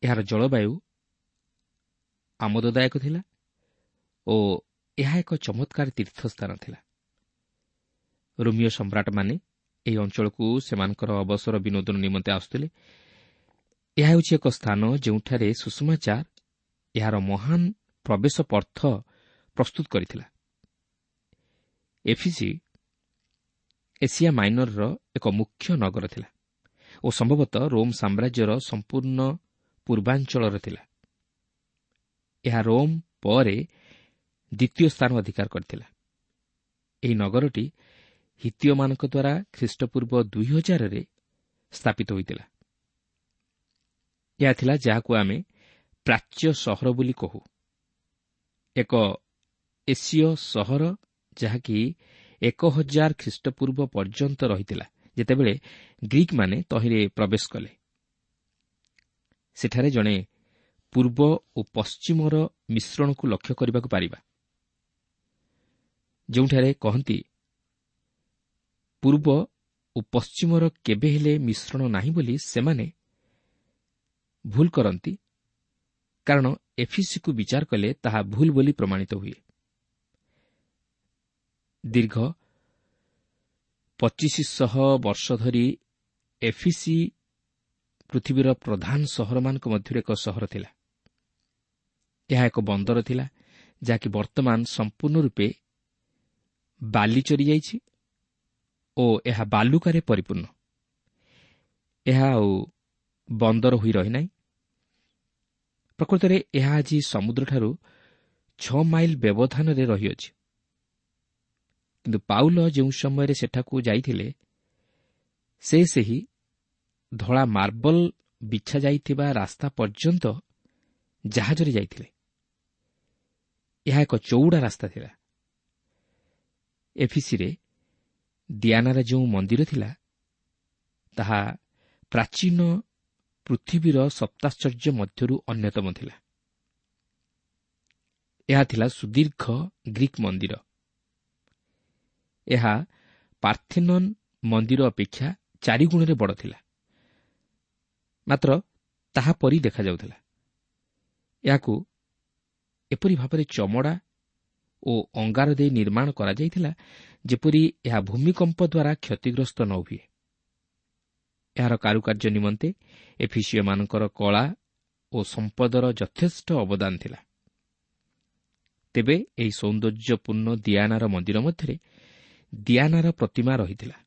ଏହାର ଜଳବାୟୁ ଆମୋଦଦାୟକ ଥିଲା ଓ ଏହା ଏକ ଚମତ୍କାର ତୀର୍ଥସ୍ଥାନ ଥିଲା। ରୋମୀୟ ସମ୍ରାଟମାନେ ଏହି ଅଞ୍ଚଳକୁ ସେମାନଙ୍କର ଅବସର ବିନୋଦନ ନିମନ୍ତେ ଆସୁଥିଲେ। ଏହା ହେଉଛି ଏକ ସ୍ଥାନ ଯେଉଁଠାରେ ସୁଷମାଚାର ଏହାର ମହାନ ପ୍ରବେଶ ପଥ ପ୍ରସ୍ତୁତ କରିଥିଲା। ଏଫିସି ଏସିଆ ମାଇନରର ଏକ ମୁଖ୍ୟ ନଗର ଥିଲା ଓ ସମ୍ଭବତଃ ରୋମ୍ ସାମ୍ରାଜ୍ୟର ସମ୍ପୂର୍ଣ୍ଣ ପୂର୍ବାଞ୍ଚଳର ଥିଲା। ଏହା ରୋମ୍ ପରେ ଦ୍ୱିତୀୟ ସ୍ଥାନ ଅଧିକାର କରିଥିଲା। ଏହି ନଗରଟି ହିତ୍ତୀୟମାନଙ୍କ ଦ୍ୱାରା ଖ୍ରୀଷ୍ଟପୂର୍ବ 2000ରେ ସ୍ଥାପିତ ହୋଇଥିଲା। ଏହା ଥିଲା ଯାହାକୁ ଆମେ ପ୍ରାଚ୍ୟ ସହର ବୋଲି କହୁ, ଏକ ଏସୀୟ ସହର ଯାହାକି 1000 ଖ୍ରୀଷ୍ଟପୂର୍ବ ପର୍ଯ୍ୟନ୍ତ ରହିଥିଲା, ଯେତେବେଳେ ଗ୍ରୀକ୍ମାନେ ତହିଁରେ ପ୍ରବେଶ କଲେ। ସେଠାରେ ଜଣେ ପୂର୍ବ ଓ ପଶ୍ଚିମର ମିଶ୍ରଣକୁ ଲକ୍ଷ୍ୟ କରିବାକୁ ପାରିବା, ଯେଉଁଠାରେ କହନ୍ତି ପୂର୍ବ ଓ ପଶ୍ଚିମର କେବେ ହେଲେ ମିଶ୍ରଣ ନାହିଁ ବୋଲି ସେମାନେ ଭୁଲ କରନ୍ତି, କାରଣ ଏଫିସିକୁ ବିଚାର କଲେ ତାହା ଭୁଲ ବୋଲି ପ୍ରମାଣିତ ହୁଏ। ଦୀର୍ଘ 2500 ବର୍ଷ ଧରି ଏଫିସି ପୃଥିବୀର ପ୍ରଧାନ ସହରମାନଙ୍କ ମଧ୍ୟରୁ ଏକ ସହର ଥିଲା। ଏହା ଏକ ବନ୍ଦର ଥିଲା ଯାହାକି ବର୍ତ୍ତମାନ ସମ୍ପୂର୍ଣ୍ଣ ରୂପେ ବାଲି ଚରିଯାଇଛି ଓ ଏହା ବାଲୁକାରେ ପରିପୂର୍ଣ୍ଣ। ଏହା ଆଉ ବନ୍ଦର ହୋଇ ରହିନାହିଁ। ପ୍ରକୃତରେ ଏହା ଆଜି ସମୁଦ୍ରଠାରୁ 6 ମାଇଲ ବ୍ୟବଧାନରେ ରହିଅଛି। କିନ୍ତୁ ପାଉଲ ଯେଉଁ ସମୟରେ ସେଠାକୁ ଯାଇଥିଲେ, ସେ ସେହି ଧଳା ମାର୍ବଲ ବିଛା ଯାଇଥିବା ରାସ୍ତା ପର୍ଯ୍ୟନ୍ତ ଜାହାଜରେ ଯାଇଥିଲେ। ଏହା ଏକ ଚଉଡ଼ା ରାସ୍ତା ଥିଲା। ଏଫିସିରେ ଦିଆନାର ଯେଉଁ ମନ୍ଦିର ଥିଲା, ତାହା ପ୍ରାଚୀନ ପୃଥିବୀର ସପ୍ତାଶ୍ଚର୍ଯ୍ୟ ମଧ୍ୟରୁ ଅନ୍ୟତମ ଥିଲା। ଏହା ଥିଲା ସୁଦୀର୍ଘ ଗ୍ରୀକ୍ ମନ୍ଦିର। ଏହା ପାର୍ଥେନନ୍ ମନ୍ଦିର ଅପେକ୍ଷା 4 ଗୁଣରେ ବଡ଼ ଥିଲା, ମାତ୍ର ତାହା ପରି ଦେଖାଯାଉଥିଲା। ଏହାକୁ ଏପରି ଭାବରେ ଚମଡ଼ା ଓ ଅଙ୍ଗାର ଦେଇ ନିର୍ମାଣ କରାଯାଇଥିଲା ଯେପରି ଏହା ଭୂମିକମ୍ପ ଦ୍ୱାରା କ୍ଷତିଗ୍ରସ୍ତ ନ ହୁଏ। ଏହାର କାରୁକାର୍ଯ୍ୟ ନିମନ୍ତେ ଏଫିସିୟମାନଙ୍କର କଳା ଓ ସମ୍ପଦର ଯଥେଷ୍ଟ ଅବଦାନ ଥିଲା। ତେବେ ଏହି ସୌନ୍ଦର୍ଯ୍ୟପୂର୍ଣ୍ଣ ଦିଆନାର ମନ୍ଦିର ମଧ୍ୟରେ ଦିଆନାର ପ୍ରତିମା ରହିଥିଲା।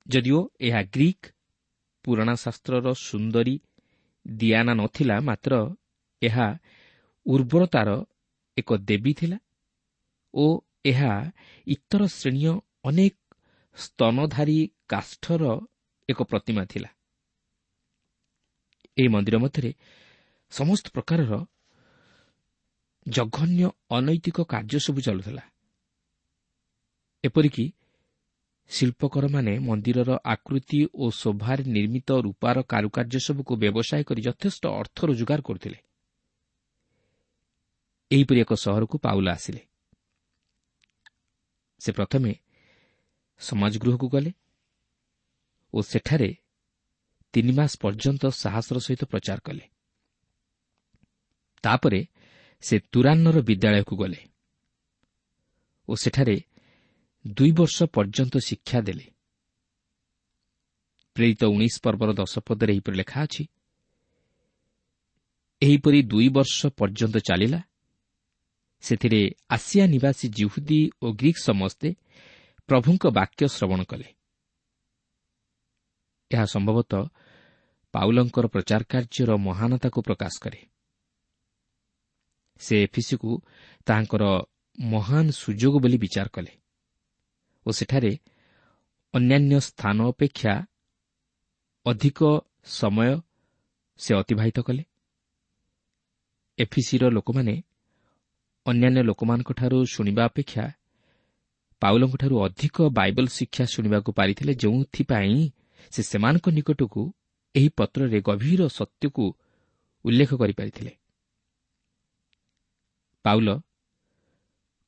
ଯଦିଓ ଏହା ଗ୍ରୀକ୍ ପୁରାଣ ଶାସ୍ତ୍ରର ସୁନ୍ଦରୀ ଦିଆନା ନଥିଲା, ମାତ୍ର ଏହା ଉର୍ବରତାର ଏକ ଦେବୀ ଥିଲା ଓ ଏହା ଇତର ଶ୍ରେଣୀୟ ଅନେକ ସ୍ତନଧାରୀ କାଷ୍ଠର ଏକ ପ୍ରତିମା ଥିଲା। ଏହି ମନ୍ଦିର ମଧ୍ୟରେ ସମସ୍ତ ପ୍ରକାରର ଜଘନ୍ୟ ଅନୈତିକ କାର୍ଯ୍ୟ ସବୁ ଚାଲୁଥିଲା। ଏପରିକି ଶିଳ୍ପକରମାନେ ମନ୍ଦିରର ଆକୃତି ଓ ଶୋଭାରେ ନିର୍ମିତ ରୂପାର କାରୁକାର୍ଯ୍ୟ ସବୁକୁ ବ୍ୟବସାୟ କରି ଯଥେଷ୍ଟ ଅର୍ଥ ରୋଜଗାର କରୁଥିଲେ। ଏହିପରି ଏକ ସହରକୁ ପାଉଲ ଆସିଲେ। ସେ ପ୍ରଥମେ ସମାଜଗୃହକୁ ଗଲେ ଓ ସେଠାରେ 3 ମାସ ପର୍ଯ୍ୟନ୍ତ ସାହସର ସହିତ ପ୍ରଚାର କଲେ। ତାପରେ ସେ ତୁରାନ୍ନର ବିଦ୍ୟାଳୟକୁ ଗଲେ ଓ ସେଠାରେ 2 ବର୍ଷ ପର୍ଯ୍ୟନ୍ତ ଶିକ୍ଷା ଦେଲେ। ପ୍ରେରିତ 19 ପର୍ବର 10 ପଦରେ ଏହିପରି ଲେଖା ଅଛି, ଏହିପରି 2 ବର୍ଷ ପର୍ଯ୍ୟନ୍ତ ଚାଲିଲା। ସେଥିରେ ଆସିଆ ନିବାସୀ ଜିହୁଦୀ ଓ ଗ୍ରୀକ୍ ସମସ୍ତେ ପ୍ରଭୁଙ୍କ ବାକ୍ୟ ଶ୍ରବଣ କଲେ। ଏହା ସମ୍ଭବତଃ ପାଉଲଙ୍କର ପ୍ରଚାର କାର୍ଯ୍ୟର ମହାନତାକୁ ପ୍ରକାଶ କରେ। ସେ ଏଫିସିକୁ ତାହାଙ୍କର ମହାନ ସୁଯୋଗ ବୋଲି ବିଚାର କଲେ ଓ ସେଠାରେ ଅନ୍ୟାନ୍ୟ ସ୍ଥାନ ଅପେକ୍ଷା ଅଧିକ ସମୟ ସେ ଅତିବାହିତ କଲେ। ଏଫିସିର ଲୋକମାନେ ଅନ୍ୟାନ୍ୟ ଲୋକମାନଙ୍କଠାରୁ ଶୁଣିବା ଅପେକ୍ଷା ପାଉଲଙ୍କଠାରୁ ଅଧିକ ବାଇବଲ ଶିକ୍ଷା ଶୁଣିବାକୁ ପାରିଥିଲେ, ଯେଉଁଥିପାଇଁ ସେ ସେମାନଙ୍କ ନିକଟକୁ ଏହି ପତ୍ରରେ ଗଭୀର ସତ୍ୟକୁ ଉଲ୍ଲେଖ କରିପାରିଥିଲେ। ପାଉଲ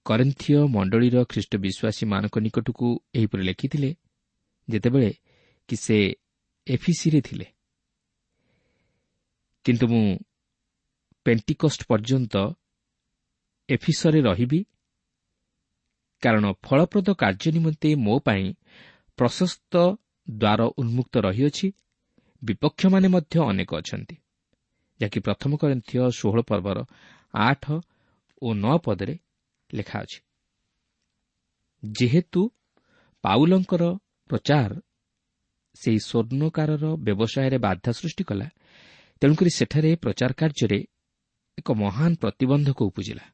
କରିନ୍ଥୀୟ ମଣ୍ଡଳୀର ଖ୍ରୀଷ୍ଟ ବିଶ୍ୱାସୀମାନଙ୍କ ନିକଟକୁ ଏହିପରି ଲେଖିଥିଲେ, ଯେତେବେଳେ କି ସେ ଏଫିସିରେ ଥିଲେ। କିନ୍ତୁ ମୁଁ ପେଣ୍ଟିକଷ୍ଟ ପର୍ଯ୍ୟନ୍ତ ଏଫିସରେ ରହିବି, କାରଣ ଫଳପ୍ରଦ କାର୍ଯ୍ୟ ନିମନ୍ତେ ମୋ ପାଇଁ ପ୍ରଶସ୍ତ ଦ୍ୱାର ଉନ୍ମୁକ୍ତ ରହିଅଛି, ବିପକ୍ଷମାନେ ମଧ୍ୟ ଅନେକ ଅଛନ୍ତି। ଯାହାକି ପ୍ରଥମ କରିନ୍ଥୀୟ 16 ପର୍ବର 8 ଓ 9 ପଦରେ ଲେଖା ଅଛି। ଯେହେତୁ ପାଉଲଙ୍କର ପ୍ରଚାର ସେହି ସ୍ୱର୍ଣ୍ଣକାରର ବ୍ୟବସାୟରେ ବାଧା ସୃଷ୍ଟି କଲା, ତେଣୁକରି ସେଠାରେ ପ୍ରଚାର କାର୍ଯ୍ୟରେ ଏକ ମହାନ ପ୍ରତିବନ୍ଧକ ଉପୁଜିଲା।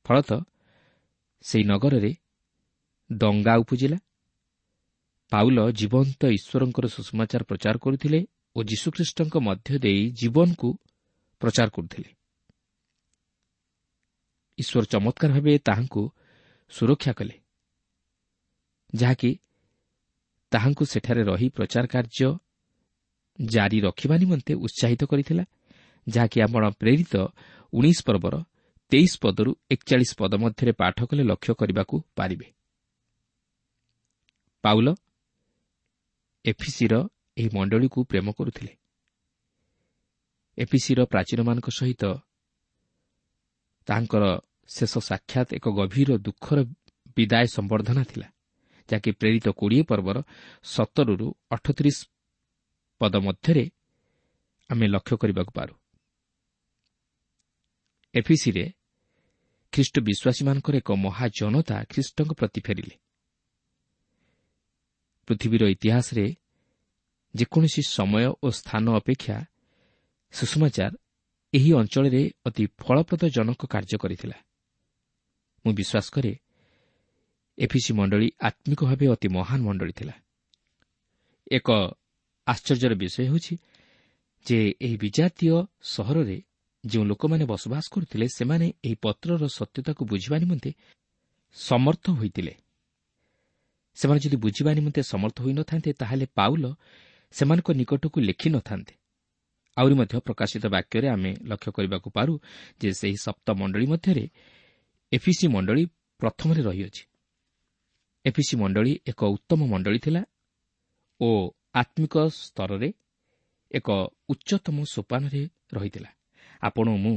ଫଳତଃ ସେହି ନଗରରେ ଦଙ୍ଗା ଉପୁଜିଲା। ପାଉଲ ଜୀବନ୍ତ ଈଶ୍ୱରଙ୍କର ସୁସମାଚାର ପ୍ରଚାର କରୁଥିଲେ ଓ ଯୀଶୁଖ୍ରୀଷ୍ଟଙ୍କ ମଧ୍ୟ ଦେଇ ଜୀବନକୁ ପ୍ରଚାର କରୁଥିଲେ। ଈଶ୍ୱର ଚମତ୍କାର ଭାବେ ତାହାଙ୍କୁ ସୁରକ୍ଷା କଲେ, ଯାହାକି ତାହାଙ୍କୁ ସେଠାରେ ରହି ପ୍ରଚାର କାର୍ଯ୍ୟ ଜାରି ରଖିବା ନିମନ୍ତେ ଉତ୍ସାହିତ କରିଥିଲା, ଯାହାକି ଆପଣ ପ୍ରେରିତ 19 ପର୍ବର 23 ପଦରୁ 41 ପଦ ମଧ୍ୟରେ ପାଠ କଲେ ଲକ୍ଷ୍ୟ କରିବାକୁ ପାରିବେ। ପାଉଲ ଏଫିସିର ଏହି ମଣ୍ଡଳୀକୁ ପ୍ରେମ କରୁଥିଲେ। ଏଫିସିର ପ୍ରାଚୀନମାନଙ୍କ ସହିତ ତାଙ୍କର ଶେଷ ସାକ୍ଷାତ ଏକ ଗଭୀର ଦୁଃଖର ବିଦାୟ ସମ୍ବର୍ଦ୍ଧନା ଥିଲା, ଯାହାକି ପ୍ରେରିତ 20 ପର୍ବର 17ରୁ 38 ପଦ ମଧ୍ୟରେ ଆମେ ଲକ୍ଷ୍ୟ କରିବାକୁ ପାରୁ। ଏଫିସିରେ ଖ୍ରୀଷ୍ଟ ବିଶ୍ୱାସୀମାନଙ୍କର ଏକ ମହାଜନତା ଖ୍ରୀଷ୍ଟଙ୍କ ପ୍ରତି ଫେରିଲେ। ପୃଥିବୀର ଇତିହାସରେ ଯେକୌଣସି ସମୟ ଓ ସ୍ଥାନ ଅପେକ୍ଷା ସୁସମାଚାର ଏହି ଅଞ୍ଚଳରେ ଅତି ଫଳପ୍ରଦଜନକ କାର୍ଯ୍ୟ କରିଥିଲା। ମୁଁ ବିଶ୍ୱାସ କରେ ଏଫିସି ମଣ୍ଡଳୀ ଆତ୍ମିକ ଭାବେ ଅତି ମହାନ ମଣ୍ଡଳୀ ଥିଲା। ଏକ ଆଶ୍ଚର୍ଯ୍ୟର ବିଷୟ ହେଉଛି ଯେ ଏହି ବିଜାତୀୟ ସହରରେ ଯେଉଁ ଲୋକମାନେ ବସବାସ କରୁଥିଲେ, ସେମାନେ ଏହି ପତ୍ରର ସତ୍ୟତାକୁ ବୁଝିବା ନିମନ୍ତେ ସମର୍ଥ ହୋଇଥିଲେ। ସେମାନେ ଯଦି ବୁଝିବା ନିମନ୍ତେ ସମର୍ଥ ହୋଇନଥାନ୍ତେ, ତାହେଲେ ପାଉଲ ସେମାନଙ୍କ ନିକଟକୁ ଲେଖିନଥାନ୍ତେ। ଆହୁରି ମଧ୍ୟ ପ୍ରକାଶିତ ବାକ୍ୟରେ ଆମେ ଲକ୍ଷ୍ୟ କରିବାକୁ ପାରୁ ଯେ ସେହି ସପ୍ତ ମଣ୍ଡଳୀ ମଧ୍ୟରେ ଏଫିସି ମଣ୍ଡଳୀ ପ୍ରଥମରେ ରହିଅଛି। ଏଫିସି ମଣ୍ଡଳୀ ଏକ ଉତ୍ତମ ମଣ୍ଡଳୀ ଥିଲା ଓ ଆତ୍ମିକ ସ୍ତରରେ ଏକ ଉଚ୍ଚତମ ସୋପାନରେ ରହିଥିଲା। ଆପଣ ମୁଁ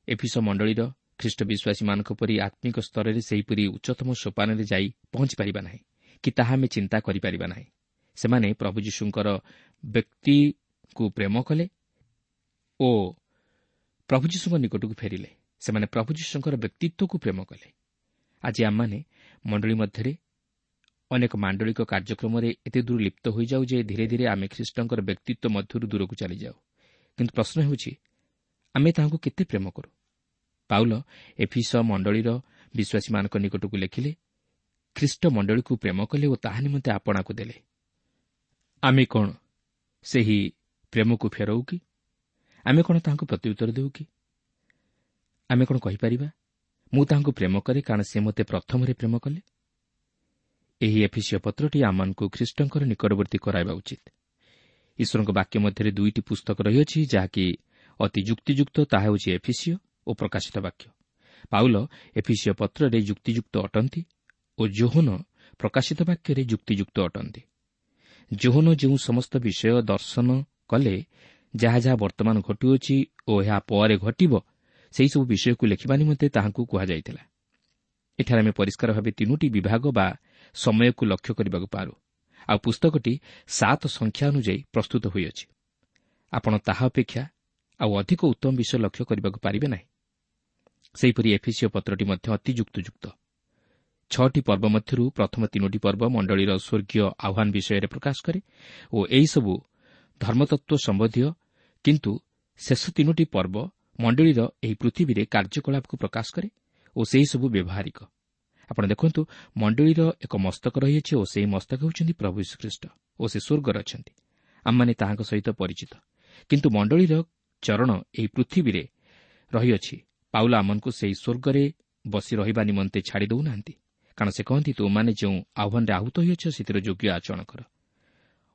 ଏଫିସ ମଣ୍ଡଳୀର ଖ୍ରୀଷ୍ଟ ବିଶ୍ୱାସୀମାନଙ୍କ ପରି ଆତ୍ମିକ ସ୍ତରରେ ସେହିପରି ଉଚ୍ଚତମ ସୋପାନରେ ଯାଇ ପହଞ୍ଚିପାରିବା ନାହିଁ କି ତାହା ଆମେ ଚିନ୍ତା କରିପାରିବା ନାହିଁ। ସେମାନେ ପ୍ରଭୁ ଯୀଶୁଙ୍କର ବ୍ୟକ୍ତିକୁ ପ୍ରେମ କଲେ ଓ ପ୍ରଭୁ ଯୀଶୁଙ୍କ ନିକଟକୁ ଫେରିଲେ। ସେମାନେ ପ୍ରଭୁ ଯୀଶୁଙ୍କର ବ୍ୟକ୍ତିତ୍ୱକୁ ପ୍ରେମ କଲେ। ଆଜି ଆମମାନେ ମଣ୍ଡଳୀ ମଧ୍ୟରେ ଅନେକ ମାଣ୍ଡଳିକ କାର୍ଯ୍ୟକ୍ରମରେ ଏତେ ଦୂର ଲିପ୍ତ ହୋଇଯାଉ ଯେ ଧୀରେ ଧୀରେ ଆମେ ଖ୍ରୀଷ୍ଟଙ୍କର ବ୍ୟକ୍ତିତ୍ୱ ମଧ୍ୟରୁ ଦୂରକୁ ଚାଲିଯାଉ। କିନ୍ତୁ ପ୍ରଶ୍ନ ହେଉଛି, ଆମେ ତାହାଙ୍କୁ କେତେ ପ୍ରେମ କରୁ? ପାଉଲ ଏଫିସ ମଣ୍ଡଳୀର ବିଶ୍ୱାସୀମାନଙ୍କ ନିକଟକୁ ଲେଖିଲେ, ଖ୍ରୀଷ୍ଟ ମଣ୍ଡଳୀକୁ ପ୍ରେମ କଲେ ଓ ତାହା ନିମନ୍ତେ ଆପଣାକୁ ଦେଲେ। ଆମେ କ'ଣ ସେହି ପ୍ରେମକୁ ଫେରାଉ କି? ଆମେ କ'ଣ ତାହାଙ୍କୁ ପ୍ରତ୍ୟୁତ୍ତର ଦେଉ କି? ଆମେ କ'ଣ କହିପାରିବା, ମୁଁ ତାହାଙ୍କୁ ପ୍ରେମ କରେ କାରଣ ସେ ମୋତେ ପ୍ରଥମରେ ପ୍ରେମ କଲେ? ଏହି ଏଫିସୀୟ ପତ୍ରଟି ଆମମାନଙ୍କୁ ଖ୍ରୀଷ୍ଟଙ୍କର ନିକଟବର୍ତ୍ତୀ କରାଇବା ଉଚିତ। ଈଶ୍ୱରଙ୍କ ବାକ୍ୟ ମଧ୍ୟରେ ଦୁଇଟି ପୁସ୍ତକ ରହିଅଛି ଯାହାକି ଅତି ଯୁକ୍ତିଯୁକ୍ତ, ତାହା ହେଉଛି ଏଫିସୀୟ ଓ ପ୍ରକାଶିତ ବାକ୍ୟ। ପାଉଲ ଏଫିସୀୟ ପତ୍ରରେ ଯୁକ୍ତିଯୁକ୍ତ ଅଟନ୍ତି ଓ ଯୋହନ ପ୍ରକାଶିତ ବାକ୍ୟରେ ଯୁକ୍ତିଯୁକ୍ତ ଅଟନ୍ତି। ଯୋହନ ଯେଉଁ ସମସ୍ତ ବିଷୟ ଦର୍ଶନ କଲେ, ଯାହା ଯାହା ବର୍ତ୍ତମାନ ଘଟୁଅଛି ଓ ଏହା ପରେ ଘଟିବ, ସେହିସବୁ ବିଷୟକୁ ଲେଖିବା ନିମନ୍ତେ ତାହାଙ୍କୁ କୁହାଯାଇଥିଲା। ଏଠାରେ ଆମେ ପରିଷ୍କାର ଭାବେ ତିନୋଟି ବିଭାଗ ବା ସମୟକୁ ଲକ୍ଷ୍ୟ କରିବାକୁ ପାରୁ। ଆଉ ପୁସ୍ତକଟି 7 ସଂଖ୍ୟା ଅନୁଯାୟୀ ପ୍ରସ୍ତୁତ ହୋଇଅଛି। ଆପଣ ତାହା ଅପେକ୍ଷା ଆଉ ଅଧିକ ଉତ୍ତମ ବିଷୟ ଲକ୍ଷ୍ୟ କରିବାକୁ ପାରିବେ ନାହିଁ। ସେହିପରି ଏଫିସୀୟ ପତ୍ରଟି ମଧ୍ୟ ଅତି ଯୁକ୍ତିଯୁକ୍ତ। 6ଟି ପର୍ବ ମଧ୍ୟରୁ ପ୍ରଥମ 3ଟି ପର୍ବ ମଣ୍ଡଳୀର ସ୍ୱର୍ଗୀୟ ଆହ୍ୱାନ ବିଷୟରେ ପ୍ରକାଶ କରେ ଓ ଏହିସବୁ ଧର୍ମତତ୍ତ୍ୱ ସମ୍ବନ୍ଧୀୟ, କିନ୍ତୁ ଶେଷ 3ଟି ପର୍ବ ମଣ୍ଡଳୀର ଏହି ପୃଥିବୀରେ କାର୍ଯ୍ୟକଳାପକୁ ପ୍ରକାଶ କରେ ଓ ସେହିସବୁ ବ୍ୟବହାରିକ। ଆପଣ ଦେଖନ୍ତୁ, ମଣ୍ଡଳୀର ଏକ ମସ୍ତକ ରହିଅଛି ଓ ସେହି ମସ୍ତକ ହେଉଛନ୍ତି ପ୍ରଭୁ ଯୀଶୁଖ୍ରୀଷ୍ଟ ଓ ସେ ସ୍ୱର୍ଗରେ ଅଛନ୍ତି। ଆମମାନେ ତାହାଙ୍କ ସହିତ ପରିଚିତ, କିନ୍ତୁ ମଣ୍ଡଳୀର ଚରଣ ଏହି ପୃଥିବୀରେ ରହିଅଛି। ପାଉଲ ଆମମାନଙ୍କୁ ସେହି ସ୍ୱର୍ଗରେ ବସି ରହିବା ନିମନ୍ତେ ଛାଡ଼ି ଦେଉନାହାନ୍ତି, କାରଣ ସେ କହନ୍ତି, ତୁମମାନେ ଯେଉଁ ଆହ୍ୱାନରେ ଆହୁତ ହୋଇଅଛ ସେଥିର ଯୋଗ୍ୟ ଆଚରଣ କର।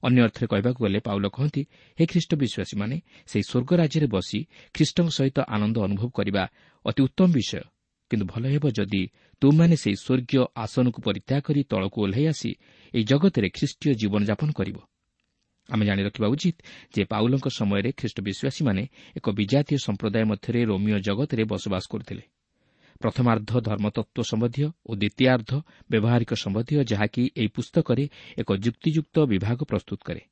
ଅନ୍ୟ ଅର୍ଥରେ କହିବାକୁ ଗଲେ ପାଉଲ କହନ୍ତି, ହେ ଖ୍ରୀଷ୍ଟ ବିଶ୍ୱାସୀମାନେ, ସେହି ସ୍ୱର୍ଗ ରାଜ୍ୟରେ ବସି ଖ୍ରୀଷ୍ଟଙ୍କ ସହିତ ଆନନ୍ଦ ଅନୁଭବ କରିବା ଅତି ଉତ୍ତମ ବିଷୟ, କିନ୍ତୁ ଭଲ ହେବ ଯଦି ତୁମମାନେ ସେହି ସ୍ୱର୍ଗୀୟ ଆସନକୁ ପରିତ୍ୟାଗ କରି ତଳକୁ ଓହ୍ଲାଇ ଆସି ଏହି ଜଗତରେ ଖ୍ରୀଷ୍ଟୀୟ ଜୀବନଯାପନ କରିବ। ଆମେ ଜାଣି ରଖିବା ଉଚିତ ଯେ ପାଉଲଙ୍କ ସମୟରେ ଖ୍ରୀଷ୍ଟ ବିଶ୍ୱାସୀମାନେ ଏକ ବିଜାତୀୟ ସମ୍ପ୍ରଦାୟ ମଧ୍ୟରେ ରୋମୀୟ ଜଗତରେ ବସବାସ କରୁଥିଲେ। ପ୍ରଥମାର୍ଦ୍ଧ ଧର୍ମତତ୍ତ୍ୱ ସମ୍ବନ୍ଧୀୟ ଓ ଦ୍ୱିତୀୟାର୍ଦ୍ଧ ବ୍ୟବହାରିକ ସମ୍ବନ୍ଧୀୟ, ଯାହାକି ଏହି ପୁସ୍ତକରେ ଏକ ଯୁକ୍ତିଯୁକ୍ତ ବିଭାଗ ପ୍ରସ୍ତୁତ କରେ।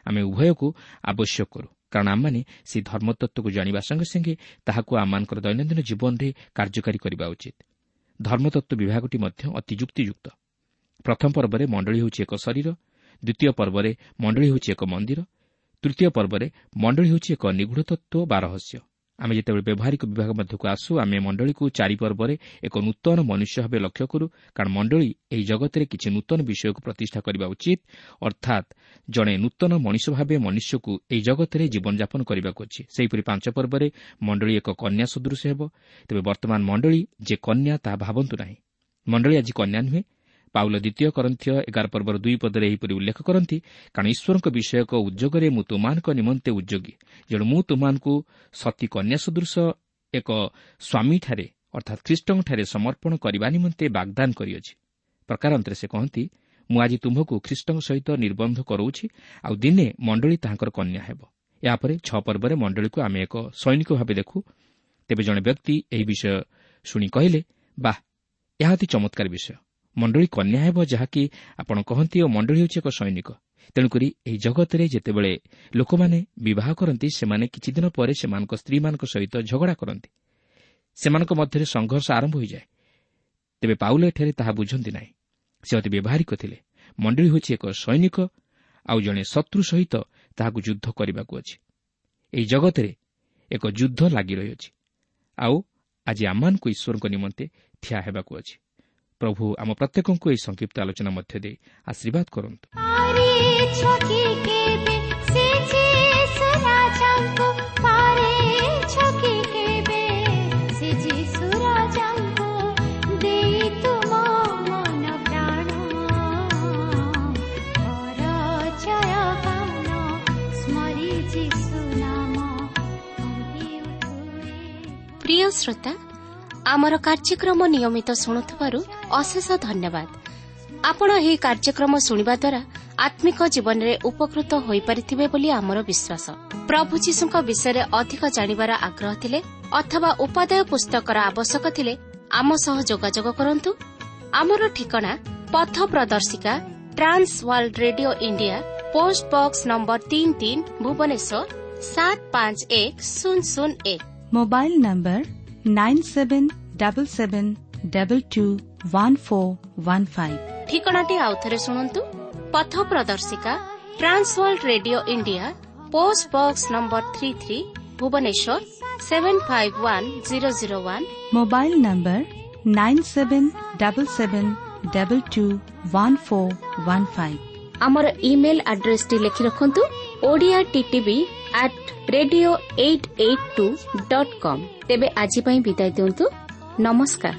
ଆମେ ଉଭୟକୁ ଆବଶ୍ୟକ କରୁ, କାରଣ ଆମମାନେ ସେହି ଧର୍ମତତ୍ତ୍ୱକୁ ଜାଣିବା ସଙ୍ଗେ ସଙ୍ଗେ ତାହାକୁ ଆମମାନଙ୍କର ଦୈନନ୍ଦିନ ଜୀବନରେ କାର୍ଯ୍ୟକାରୀ କରିବା ଉଚିତ। ଧର୍ମତତ୍ତ୍ୱ ବିଭାଗଟି ମଧ୍ୟ ଅତି ଯୁକ୍ତିଯୁକ୍ତ। ପ୍ରଥମ ପର୍ବରେ ମଣ୍ଡଳୀ ହେଉଛି ଏକ ଶରୀର, ଦ୍ୱିତୀୟ ପର୍ବରେ ମଣ୍ଡଳୀ ହେଉଛି ଏକ ମନ୍ଦିର, ତୃତୀୟ ପର୍ବରେ ମଣ୍ଡଳୀ ହେଉଛି ଏକ ନିଗୂଢ଼ ତତ୍ତ୍ୱ ବା ରହସ୍ୟ। ଆମେ ଯେତେବେଳେ ବ୍ୟବହାରିକ ବିଭାଗ ମଧ୍ୟକୁ ଆସୁ, ଆମେ ମଣ୍ଡଳୀକୁ 4 ପର୍ବରେ ଏକ ନୂତନ ମନୁଷ୍ୟ ଭାବେ ଲକ୍ଷ୍ୟ କରୁ, କାରଣ ମଣ୍ଡଳୀ ଏହି ଜଗତରେ କିଛି ନୂତନ ବିଷୟକୁ ପ୍ରତିଷ୍ଠା କରିବା ଉଚିତ। ଅର୍ଥାତ୍ ଜଣେ ନୂତନ ମଣିଷ ଭାବେ ମନୁଷ୍ୟକୁ ଏହି ଜଗତରେ ଜୀବନଯାପନ କରିବାକୁ ଅଛି। ସେହିପରି 5 ପର୍ବରେ ମଣ୍ଡଳୀ ଏକ କନ୍ୟା ସଦୃଶ ହେବ। ତେବେ ବର୍ତ୍ତମାନ ମଣ୍ଡଳୀ ଯେ କନ୍ୟା ତାହା ଭାବନ୍ତୁ ନାହିଁ। ମଣ୍ଡଳୀ ଆଜି କନ୍ୟା ନୁହେଁ। ପାଉଲ ଦ୍ୱିତୀୟ କରନ୍ଥୀୟ 11 ପର୍ବର 2 ପଦରେ ଏହିପରି ଉଲ୍ଲେଖ କରନ୍ତି, କାରଣ ଈଶ୍ୱରଙ୍କ ବିଷୟକ ଉଦ୍ୟୋଗରେ ମୁଁ ତୁମମାନଙ୍କ ନିମନ୍ତେ ଉଦ୍ୟୋଗୀ, ଯେଣୁ ମୁଁ ତୁମମାନଙ୍କୁ ସତୀ କନ୍ୟା ସଦୃଶ ଏକ ସ୍ୱାମୀଠାରେ ଅର୍ଥାତ୍ ଖ୍ରୀଷ୍ଟଙ୍କଠାରେ ସମର୍ପଣ କରିବା ନିମନ୍ତେ ବାଗ୍ଦାନ କରିଅଛି। ପ୍ରକାରାନ୍ତରେ ସେ କହନ୍ତି, ମୁଁ ଆଜି ତୁମ୍ଭକୁ ଖ୍ରୀଷ୍ଟଙ୍କ ସହିତ ନିର୍ବନ୍ଧ କରାଉଛି, ଆଉ ଦିନେ ମଣ୍ଡଳୀ ତାହାଙ୍କର କନ୍ୟା ହେବ। ଏହାପରେ 6 ପର୍ବରେ ମଣ୍ଡଳୀକୁ ଆମେ ଏକ ସୈନିକ ଭାବେ ଦେଖୁ। ତେବେ ଜଣେ ବ୍ୟକ୍ତି ଏହି ବିଷୟ ଶୁଣି କହିଲେ, ବାଃ, ଏହା ଅତି ଚମତ୍କାର ବିଷୟ। ମଣ୍ଡଳୀ କନ୍ୟା ହେବ, ଯାହାକି ଆପଣ କହନ୍ତି, ଓ ମଣ୍ଡଳୀ ହେଉଛି ଏକ ସୈନିକ। ତେଣୁକରି ଏହି ଜଗତରେ ଯେତେବେଳେ ଲୋକମାନେ ବିବାହ କରନ୍ତି, ସେମାନେ କିଛିଦିନ ପରେ ସେମାନଙ୍କ ସ୍ତ୍ରୀମାନଙ୍କ ସହିତ ଝଗଡ଼ା କରନ୍ତି। ସେମାନଙ୍କ ମଧ୍ୟରେ ସଂଘର୍ଷ ଆରମ୍ଭ ହୋଇଯାଏ। ତେବେ ପାଉଲ ଏଠାରେ ତାହା ବୁଝନ୍ତି ନାହିଁ। ସେ ଅତି ବ୍ୟବହାରିକ ଥିଲେ। ମଣ୍ଡଳୀ ହେଉଛି ଏକ ସୈନିକ, ଆଉ ଜଣେ ଶତ୍ରୁ ସହିତ ତାହାକୁ ଯୁଦ୍ଧ କରିବାକୁ ଅଛି। ଏହି ଜଗତରେ ଏକ ଯୁଦ୍ଧ ଲାଗି ରହିଅଛି, ଆଉ ଆଜି ଆମମାନଙ୍କୁ ଈଶ୍ୱରଙ୍କ ନିମନ୍ତେ ଠିଆ ହେବାକୁ ଅଛି। ପ୍ରଭୁ ଆମ ପ୍ରତ୍ୟେକଙ୍କୁ ଏହି ସଂକ୍ଷିପ୍ତ ଆଲୋଚନା ମଧ୍ୟ ଦେଇ ଆଶୀର୍ବାଦ କରନ୍ତୁ। ପ୍ରିୟ ଶ୍ରୋତା, ଆମର କାର୍ଯ୍ୟକ୍ରମ ନିୟମିତ ଶୁଣୁଥିବାରୁ ଅଶେଷ ଧନ୍ୟବାଦ। ଆପଣ ଏହି କାର୍ଯ୍ୟକ୍ରମ ଶୁଣିବା ଦ୍ୱାରା ଆତ୍ମିକ ଜୀବନରେ ଉପକୃତ ହୋଇପାରିଥିବେ ବୋଲି ଆମର ବିଶ୍ୱାସ। ପ୍ରଭୁ ଯୀଶୁଙ୍କ ବିଷୟରେ ଅଧିକ ଜାଣିବାର ଆଗ୍ରହ ଥିଲେ ଅଥବା ଉପାଦେୟ ପୁସ୍ତକର ଆବଶ୍ୟକ ଥିଲେ ଆମ ସହ ଯୋଗାଯୋଗ କରନ୍ତୁ। ଆମର ଠିକଣା ପଥ ପ୍ରଦର୍ଶିକା, Trans World Radio India, post box number 33, Bhubaneswar 751001। Mobile number 9777221415। ଠିକଣାଟି ଆଉଥରେ ଶୁଣନ୍ତୁ। ପଥ ପ୍ରଦର୍ଶିକା, Trans World Radio India, post box number 33, Bhubaneswar 751001। Mobile number 9777221415। ଆମର ଇମେଲ୍ ଆଡ୍ରେସଟି ଲେଖି ରଖନ୍ତୁ, Odia TTV at radio 882.com। ତେବେ ଆଜି ପାଇଁ ବିଦାୟ ଦିଅନ୍ତୁ। ନମସ୍କାର।